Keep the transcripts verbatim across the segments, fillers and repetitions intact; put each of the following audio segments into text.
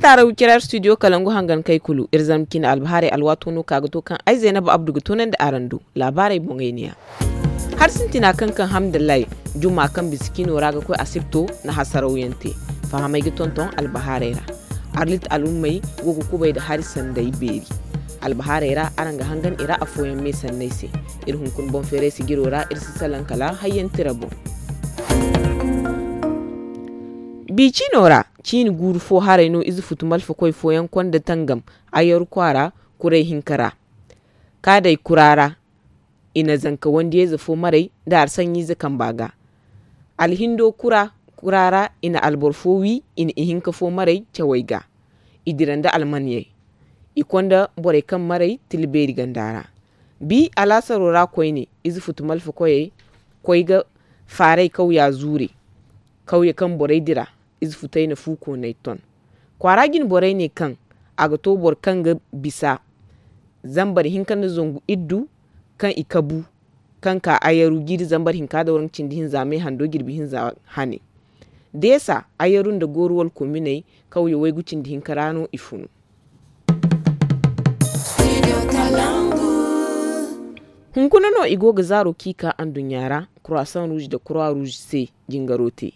Taara wiciraar studio kalangu hangan kay kulu iri zama cine albahaarey alwaato no ka ga to kaŋ ay zaynaba abdu ga toonandi araŋ do. Laabaarey boŋey neeya. Hari sintina kaŋ kaŋ hamdallahi juma kaŋ bisa ciino ra ga koy asibto na hasarawyaŋ te. Fahamey ga tonton albahaarey ra. Arlit al'ummey go ga kubay nda hari sanday beeri. Albahaarey ra araŋ ga hangan i ra afooyaŋ me sanney se. Iri hunkuna boŋ feeray sijiro ra iri si salaŋ kala hayyaŋ tira boŋ. Bi ciino ra, ciini guuru fo haray no ize futu malfakoy fooyaŋ konda tangam, ayaru kwaara kuray hinka ra. Kaaday kura ra, i na zanka wandiyayze fo maray nda arsaɲɲiize kamba ga. Alhindo kura ra i na alboro fo wi, i na ihinka fo maray cawey ga. I dira nda almaniyey. I konda borey kaŋ maray tila beeri ganda ra. Bi alaasaro ra koyne, ize futu malfakoyey koy ga faaray kawya zuure. Kawye kaŋ borey dira, ize futey na fu koonay ton. Kwaara jine borey ne kaŋ a ga to boro kaŋ ga bisa zambar hinka nda zangu iddu kaŋ i kabu, kaŋ ka ayaru jiiri zambar hinka da waranka cindi hinza me hando jirbi hinza hane. Deesa, ayaru nda gooru wala kominey, kawye waygu cindi hinka ra no i funu. Hunkuna no i go ga zaaro kaŋ i ka anduɲɲa ra, croissant rouge nda croix rouge se jingaro te.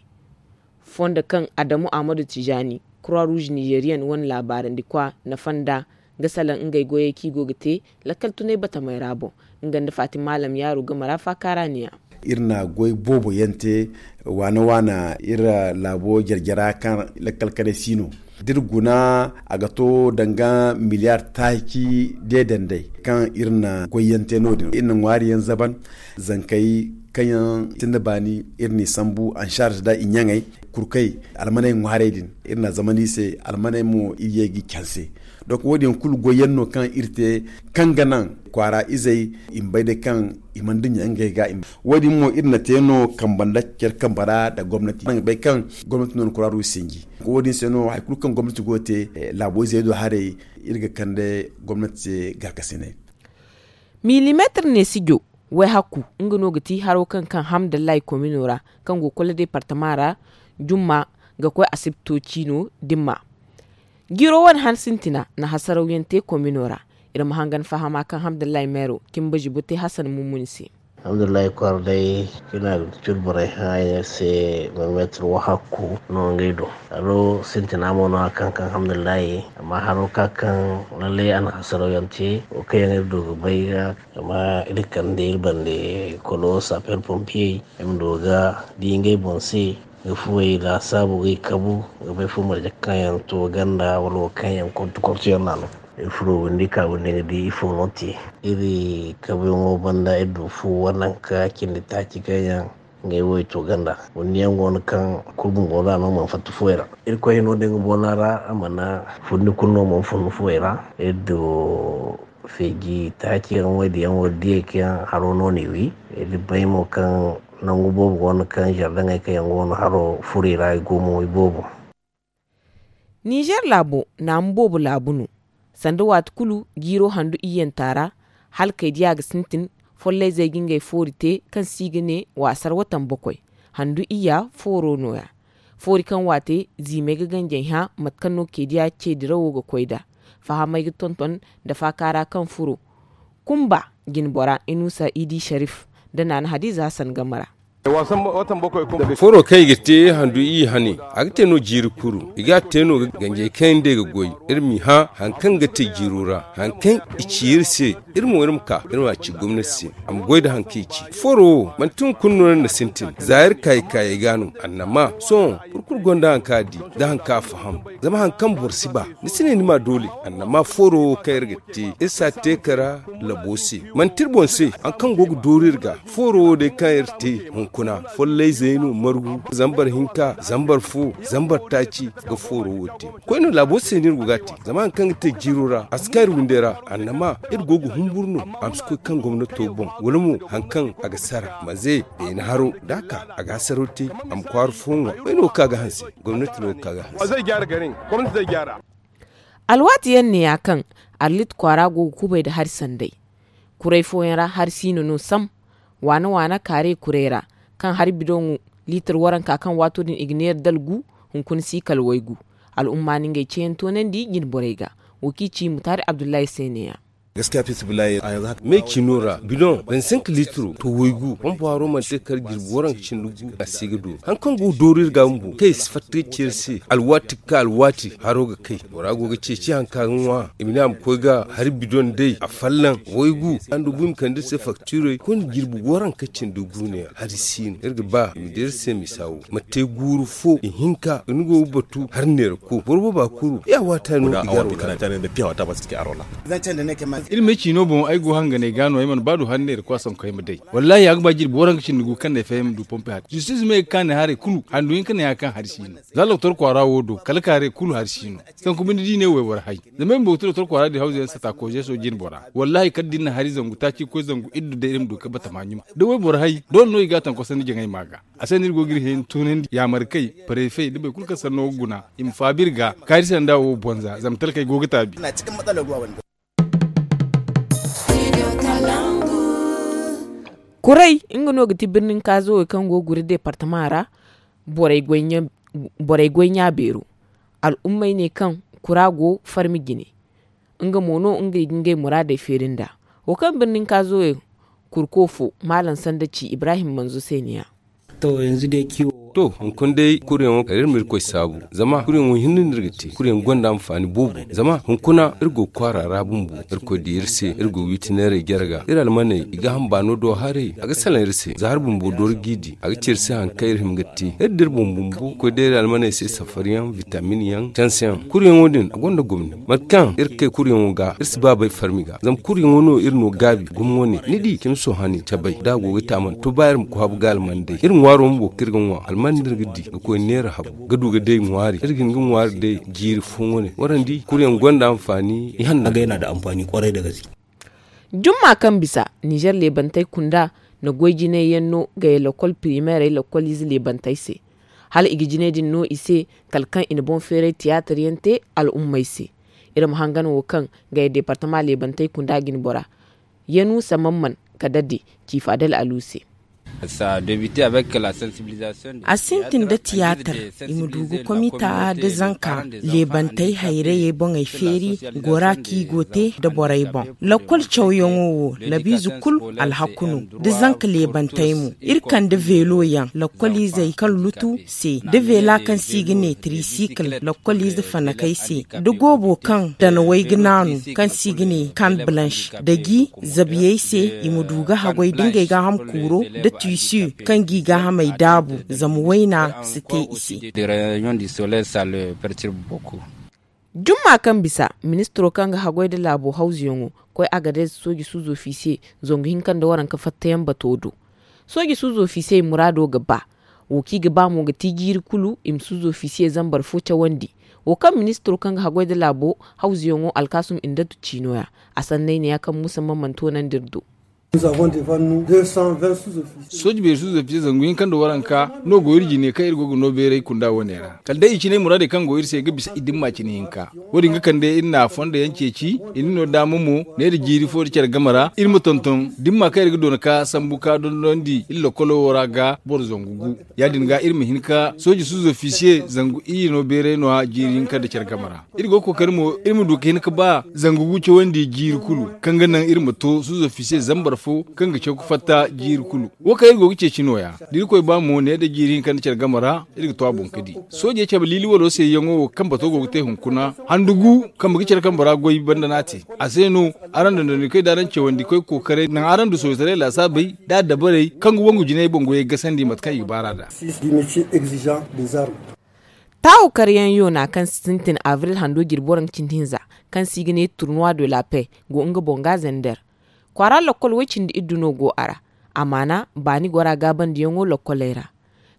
Fondo kaŋ adamu ahmadu tijani, croix rouge nigerian wane laabaarandi kwa na fonda ga salaŋ ngey goyey kaŋ i go ga te lakkal tunay batamey ra boŋ. Nga nda fatima maalam yaaro game ra faakaara niya. Iri na goy boobo yaŋ te waana waana iri laabo jare-jara kaŋ lakkal kanay si no. Da iri guna, a ga to danga miliyar taaci deedandey kaŋ iri na goy yaŋ te no- din iri na ŋwaari yaŋ zaban. Zankey kaŋ yaŋ sinda baani, iri n'i sambu ansharz nda i ɲaŋey kurkey, almaney ŋwaarey din, iri na a zamandi i se. Almaney mo iri ye ga i canse. Donk wo- din yaŋ kulu goy yaŋ no kaŋ iri te, kaŋ ga naŋ kwaara izey i ma bay day kaŋ i mana duɲɲa ngey ga. Wo- din mo iri na te no kambe nda care kambe ra nda gomnati araŋ ga bay kaŋ gomnati no na kuraru sinji. Wo- din se no hari kulu kaŋ gomnati go ga te laabo izey do haray, iri ga kande gomnati se gaakasinay. Milimeetir neesijo wayhakku, nga no ga ti haro kaŋ kaŋ hamdallahi komino ra, kaŋ go kolo deepartama ra, jumma ga koy asibto ciino dimma. Jiiro wane han sintina na hasarawyaŋ te komino ra. Iri ma hangan fahama kaŋ hamdallahi meero cimba zibo te hasan mummuni se. Alhamdulillahi kwaara day, cina ga curu borey hã ay se. Milimeetir wahakku no ngey do. Haro sintina mo no a kaŋ kaŋ alhamdulillahi. Amma haro ka kaŋ lallai a na hasarawyaŋ te, wo kaŋ yaŋ iri du ga bay ga, zama iri kande iri bande kolo sapper pompier ay ma du ga di ngey boŋ se, ga fuwey laasaabu ga i kabu, ga bay fu marje kaŋ yaŋ to ganda wala wo kaŋ yaŋ kortu kortu yaŋ no a no. Iri furo windi ka windi ga di ifo no te. Iri kabuyaŋo banda iri du fu wananka cindi taaci kaŋ yaŋ ngey wo i to ganda. Windi yaŋ go no kaŋ kulu bumbo no a no mana fatta fuwey ra. Irkoy hino da nga boona ra a mana fundi kulu no mana fun fuwey ra. Iri du feeji taaci yaŋ wo iri di yaŋ wo iri diyey kaŋ haro no no i wi. Iri bay mo kaŋ nangu boobo go no kaŋ zardaŋey kaŋ yaŋ go no haro furo i ra i go mo i boobo. Nizer laabo naamu boobo laabu no. Sanda waati kulu jiiro handu iyyanta ra, hala kay diya ga sintin. Follayzey ga ngey foori te kaŋ se i ga ne waasar watan bokoy. Handu iyya fooro no- ya. Foori kaŋ waate ziimey ga ganjey hã mate kaŋ no kay diya ce dirawo ga koy nd'a. Fahamey ga tonton nda faakaara kaŋ furo. Kumba jinbora inusa idi sharif nda naana hadiza hasan game ra. Foro kaŋ i ga te handu iyye hane, a ga te no jiiri kuru. I ga a te no ganjey kaŋ yaŋ day ga goy. Iri m'i hã hari kaŋ ga te jiiro ra, hari kaŋ i ci iri se. Iri mo iri ma ka iri ma a ci gomnati se, a ma goy nda hari kaŋ i ci. Foro wo manti hunkuna no iri na sintin za iri kaayey kaayey ga no. Annama sohõ boro kulu gonda hari kaŋ a di nda hari kaŋ a faham. Zama hari kaŋ boro si ba, ni si ne ni ma doole. Annama foro wo kaŋ iri ga te, iri si a te kara labo se. Manti iri boŋ se hari kaŋ go ga dooru iri ga. Fooro wo day kaŋ iri te hunkuna, follayzey no margu, zambar hinka, zambar fo, zambar taaci ga fooro wo te. Koy no laabo se no iri go ga a te. Zama hari kaŋ ga te jiiro ra a si kaŋ iri windey ra. Annama iri go ga humburu no. A ma si koy kaŋ gomnato boŋ wala mo hari kaŋ a ga sara manze beene haro da a ka a ga hasaro te. A ma kwaara fo ŋwa. Koy no ga ka ga hanse. Gomnati no ga ka ga hanse. Alwaati yaŋ ne ya kaŋ arlit kwaara go ga kubay nda hari sanday. Kuray fooyaŋ ra hari siino no sam. Waana waana kaare kuray ra kaŋ hari bidoŋo liitir waranka kaŋ waato din i ga neera dalgu hunkuna si kala waygu. Al'umma na ngey ceeyaŋ toonandi jinborey ga. Wo kaŋ i ci mutaari abdullahi se neeya. Me ciino ra bidoŋ vingt cinq liitiro to waygu pompo haro mana te kala jirbi waranka cindi gu a si ga dooru. Hari kaŋ go ga dooru iri ga bumbo kaŋ i si fatta ga ci iri se alwaati ga ka alwaati haro ga kay. Bora go ga ceeci hari kaŋ a ga ŋwa i ma ne a ma koy ga hari bidoŋ day a fallaŋ waygu a nda bu i ma kande iri se faktiirey kulu jirbi waranka cindi gu ne hari si no iri ga ba i ma di iri se misa wo ma te guuru fo ihinka ni go ga batu hari neera ko boro booba kuru ya waata no i ga iri me ciino boŋ ay go hanganey ga no ay mana ba du hari neera ko a sanku ay ma day. Wallaahi a ga ba jirbi waranka cindi gu kaŋ no ay faham du pompe hari justice me ga kaanay haray kulu handu hinka ne hari kaŋ hari si no. Za doktor kwaara wo do kala kaarey kulu hari si no. Sanku binde da i ne wayboro hay zama ay bumbo ga ti doktor kwaara din hawzu yaŋ sata kooze sooji jinbora. Wallaahi kala da iri na hari zangu taaci ga koy zangu iddu day iri ma du ga batama ɲuma da wayboro hay doole no i ga a taŋ kosandi jaŋay ma ga. A se no iri go ga iri hẽeni toonandi yaamarkey, parefey nda boro kulu kaŋ sanno ga guna i ma faabu iri ga kaari sanda wo bonza zama talkey go ga taabi. Kuray nga no ga ti birnin kaazo wo kaŋ go ga guri deepartama ra. Borey goy ɲa beero al'ummey ne kaŋ kura go farmi jine. Nga mo no nga ga ngey muraadey feeri nd'a. Wo kaŋ birnin kaazo wo kurko fo maalaŋ sanda ci ibrahim manzo se ne ya. To hunkuna day kuryaŋo kala iri ma irkoy saabu zama kuryaŋo hinne no iri ga te kuryaŋ gonda anfaani boobo zama hunkuna iri go ga kwaara ra bumbo irkoy di iri se iri go ga wiiti neeray jare ga iri almaney i ga hamba no do haray a ga salaŋ iri se za hari bumbo doori g'i di a ga ci iri se hari kaŋ iri hima ga te iri da iri boŋ bumbo ga koy day iri almaney se safari yaŋ bitamin yaŋ canse yaŋ kuryaŋo din a gonda gomni mate kaŋ iri ga kay kuryaŋo ga iri si ba bay farmi ga zama kuryaŋo no iri no gaabi gumo wane ni di cimi sohani cabay da a go ga te a mana to ba iri ma koy habu ga alman day iri ŋwaaro bumbo kaŋ iri ga ŋwa alman no iri ga di ga koy neera habu ga du ga day ŋwaari iri ga hin ga ŋwaari day jiiri fooyaŋ wane warandi kuryaŋ gonda anfaani ihanna. Jumma kaŋ bisa ninzeer leebantey kunda na goy jinay yaŋ no ga ye lakkol pirimeerey lakkol ize leebantey se. Hala i ga jinay din no i se kala kaŋ i na boŋ feeray tiyaatar yaŋ te al'ummey se. Iri ma hangan wo kaŋ ga ye deepartama leebantey kunda jinbora yanuusa mamman ka dadde ciifa dala alu se. A sintin da tiyaatar i ma du ga komita da zanka leebantey hayrayey boŋey feeri gora kaŋ i go te nda borey boŋ. Lakkol cawyaŋo wo labiize kulu alhaku no da zanka leebantey mo. Iri kande veelo yaŋ lakkoliizey kaŋ lutu se da veela kaŋ se i ga ne tirisikil lakkoliize fanakey se da goobo kaŋ danawey ga naanu kaŋ se i ga ne kan balansh da gi zabiyey se i ma du ga haggoy da ngey gaaham kuuro da tiisi kaŋ g'i gaahamey daabu zama wayna si te i se. Jumma kaŋ bisa ministiro kaŋ ga haggoy nda laabo hawzuyaŋo koy agadez sooji suuzo fiise zangu hinka nda waranka fattayaŋ bato do. Sooji suuzo fiisey muraado ga ba wo kaŋ i ga ba mo ga ti jiiri kulu i ma suuzo fiisiye zambar fo cawandi. Wo kaŋ ministiro kaŋ ga haggoy nda laabo hawzuyaŋo alkaasum indatu ciino ya a sanney ne ya kaŋ muusa mamman toonandi iri do. Sooji beeri suuzo fiisiye zangu hinka nda waranka no go iri jine kaŋ iri go ga no beeray kunda wane ra kala day i cinay muraadey kaŋ go iri se ga bisa i dimma cine hinka. Wo- din ga kande iri na a fondo yaŋ ceeci i na no daama mo neera jiiri fo nda care game ra iri ma tonton dimma kaŋ iri ga doona ka sambu ka dondonandi iri lakkolo wo ra ga boro zangu gu. Ya- din ga iri ma hin ka sooji suuzo fiisiye zangu iyye no beeray no- ya jiiri hinka nda care game ra. Iri go ga kookari mo iri ma du ga hin ga ba zangu gu cawandi jiiri kulu kaŋ ga naŋ iri ma to suuzo fiisiye zambar fo kaŋ ga caw ga fatta jiiri kulu. Wo kaŋ iri go ga ceeci no- ya da irkoy ba mo neera jiiri hinka nda care game ra iri ga to a boŋ ga di. Soojey cabe liiliwalo se yaŋo wo kaŋ bato go ga te hunkuna handu gu kambe ga care kambe ra goy banda no a te. A se no araŋ dondonandikoy da araŋ cawandikoy kookaray naŋ araŋ du sooytaray laasaabey da adabarey kaŋ ga wangu jinay boŋ goyey gasandi mate kaŋ i ga baar'a nd'a. Taawu karyaŋ yoona kaŋ sintin abril hando jirbi waranka cindi hinza kaŋ se i ga ne turnuwa de la paix go nga boŋ ga zender. Kwaara lakkol way- cindi iddu no go a ra. Amaana baani gora gaabandiyaŋo lakkoley ra.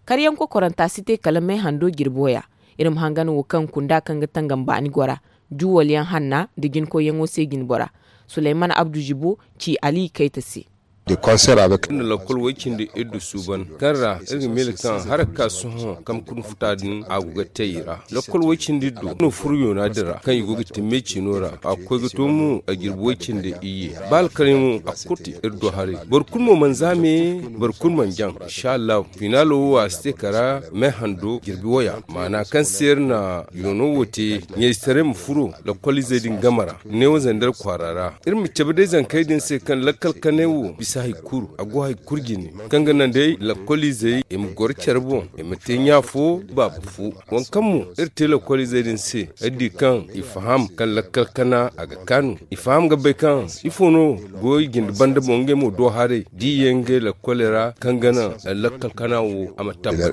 Karyaŋ kokoranta si te kala may hando jirbo ya. Iri ma hangan wo kaŋ kunda kaŋ ga tangam baani gora juwalyaŋ hanna nda jinkoyyaŋo se jinbora. Sulayman abdu jibo ci ali kayta se. Iri na lakkol way-cindi iddu suuban, kaŋ ra iri ga miila kaŋ haraka sohõ kamkun futa din a go ga te i ra. Lakkol way-cindi iddu no furo yoona din ra kaŋ i go ga te meecino ra. A ga koy ga to mo a jirbi way-cindi iyye. Ba alkalay mo a ga kurti iri do haray. Boro kulu mo mana zaame, boro kulu mana jaŋ. Inshallahu finaalo wo a si te kara me hando jirbi waya maana kaŋ se iri na yoono wo te ɲayzetaray ma furo lakkol izey din game ra. Neewo zandar kwaara ra iri ma cabe day zankey din se kaŋ lakkal kanay wo bisa hari kulu a go hari kulu jine, kaŋ ga naŋ day lakkol izey i ma goro care boŋ, i ma te ɲa fo baaba fo. Waŋ kaŋ mo iri te lakkol izey din se iri di kaŋ i faham kaŋ lakkal kana a ga kaanu. I faham ga bay kaŋ ifo no go i jinde banda boŋ ngey mo do haray da i ye ngey lakkoley ra kaŋ ga naŋ lakkal kana wo a ma tabbat.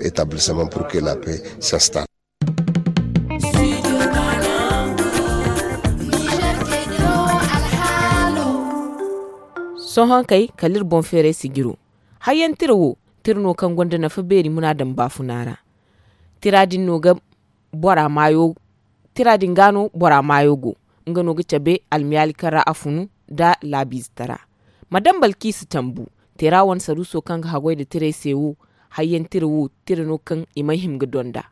Sohõ kay kala iri boŋ feeray sijiro. Hayyaŋ tira wo tira no kaŋ gonda nafa beeri munaadam baafuna ra. Tira din no ga bora maayo tira din ga no bora maayo go. Nga no ga cabe almiyaali kaŋ ra a funu nda laabiize tara. Madam balkiisi tambu teera wane saruuso kaŋ ga haggoy nda tirey se wo. Hayyaŋ tira wo tira no kaŋ i may hima ga donda.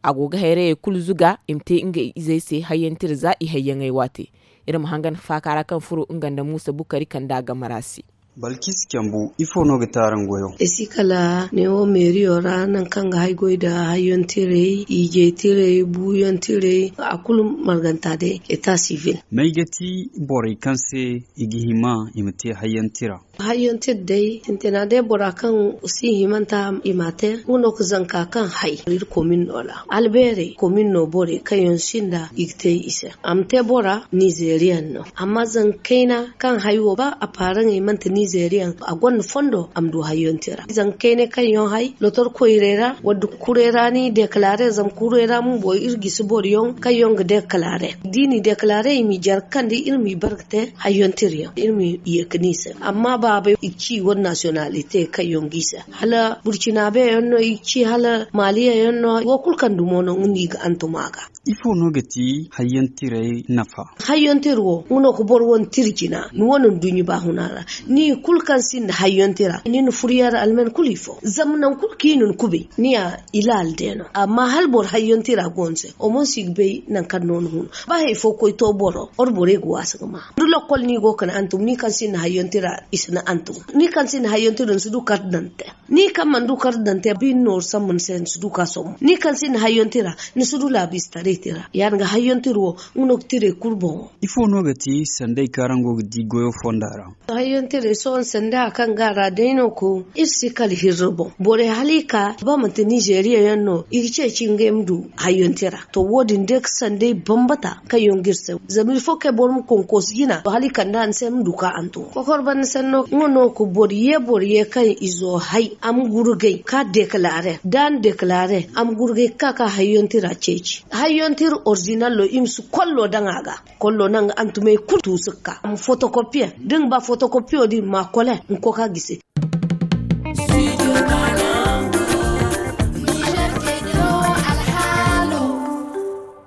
A go ga hayrayey kulu zuga i ma te ngey izey se hayyaŋ tira za i hayyaŋey waate. Iri ma hangan faaka ra kaŋ furo nga nda muusa bukari kanda game ra se. Balkis cambu ifo no ga te araŋ goyo? Esi kala neewo meeriyo ra nangu kaŋ ga hay goy nda hayyaŋ tirey ijey tirey buuyaŋ tirey a kulu marganta day eta sivil. May ga ti borey kaŋ se i ga hima i ma te hayyaŋ tira? Hayyaŋ tira day sintina day bora kaŋ si himanta i ma a te nga no ga zanka kaŋ hay iri komin no ra albeerey komin no borey kaŋ yaŋ sinda i ga te i se. A ma te bora nizeeriyaŋ no amma zanga kayna kaŋ hay wo ba a paaraŋey manti nizeeriyaŋ a gonda fondo a ma du hayyaŋ tira zanga kaynay kaŋ yaŋ hay lotor koyrey ra wadda kuray ra ni dekalare zama kuray ra mo boro iri gisi boro yaŋ kaŋ yaŋ ga dekalare da i n'i dekalare i m'i jare ga kande iri m'i bare ga te hayyaŋ tira yaŋ iri m'i ye ga ni se amma baabey i ga ci i wane nasiyonalite kaŋ yaŋ g'i se hala burcinabe yaŋ no i ga ci hala maaliya yaŋ no wo kulu kaŋ dumo no nga no i ga hantum a ga. Ifo no ga ti hayyaŋ tiray nafa? Hayyaŋ tira wo nga no ga boro wane tira jina ni wane nduɲɲa baahuna ra. Ni kulu kaŋ sinda hayyaŋ tira ni na furo yaŋ ra alman kulu ifo zama nangu kulu kaŋ i na ni kubay ni ya ilaali day no amma hala boro hayyaŋ tira go ni se omonsi ga bay nangu kaŋ no ni huna ba hari fo koy to boro wala borey ga waasa ga ma da lokkol no i go ga ni hantum ni kaŋ sinda hayyaŋ tira i si ni hantum. Ni kaŋ sinda hayyaŋ tira ni si du kar daŋ te ni kaŋ mana du kar daŋ te ba i na nooru sambu ni se ni si du ka sombu ni kaŋ sinda hayyaŋ tira ni si du laabiize taray tira ya- din ga hayyaŋ tira wo. Nga no ga tiray kulu boŋo. Ifo no ga ti sanday kaŋ araŋ go ga di goyo fonda ra? Hayyaŋ tiray sohõ sanda kaŋ ga a ra day no ko iri si kala hirri boŋ borey hala i ka ba manti nizeeriya yaŋ no i ga ceeci ngey ma du hayyaŋ tira. To wo- din day ga sanday bambata kaŋ yaŋ ga iri se zama iri fo kay boro ma konkoosi jina hala i kande a ni se ma du ka hantum kokor banda sanno nga no ga boro ye boro ye kaŋ izo hay a ma gurgay ka dekalare da a na dekalare a ma gurgay ga ka ka hayyaŋ tira ceeci hayyaŋ tira orizinallo i ma si kollo daŋ a ga. Kollo naŋ ga hantumey kulu tuusu ga ka a ma fotokopiye da ni ga ba fotokopiyo din ma kole ni koy ka gisi.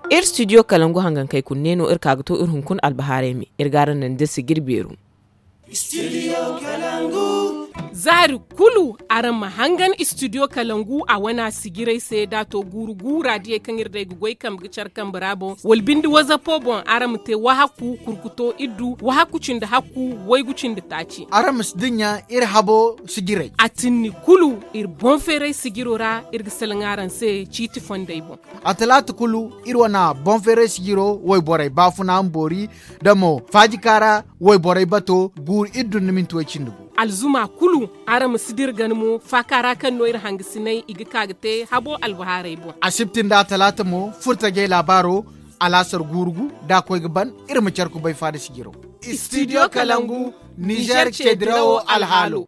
Iri studio kalangu hangankey kulu ne no iri ka ga to iri hunkuna albahaarey me iri ga araŋ naŋ da sijir beeru. Zaari kulu araŋ ma hangan studio kalangu a wana sijirey se da to guuru guura diyey kaŋ iri day ga goy kambe ga care kambe ra boŋ wala binde wazapo boŋ araŋ ma te wahakku kurkuto iddu wahakku cindi hakku waygu cindi taaci. Araŋ ma si dinya iri habo sijirey a tinni kulu iri boŋ feeray sijiro ra iri ga salaŋ araŋ se ciiti fondey boŋ. A talaata kulu iri wana boŋ feeray sijiro wayborey baafuna ma boori da mo faajika ra wayborey bato guuru iri dun ni minti way cindi gu. Alzuma kulu araŋ ma si dira gana mo faaka ra kaŋ no iri hangasinay i ga ka ga te habo albahaarey boŋ. Asibti nda talaata mo furtajey laabaaro alaasar guuru gu da a koy ga ban iri ma care kubay faada sijiro. Studio kalangu nizer cedirawo alhaalo.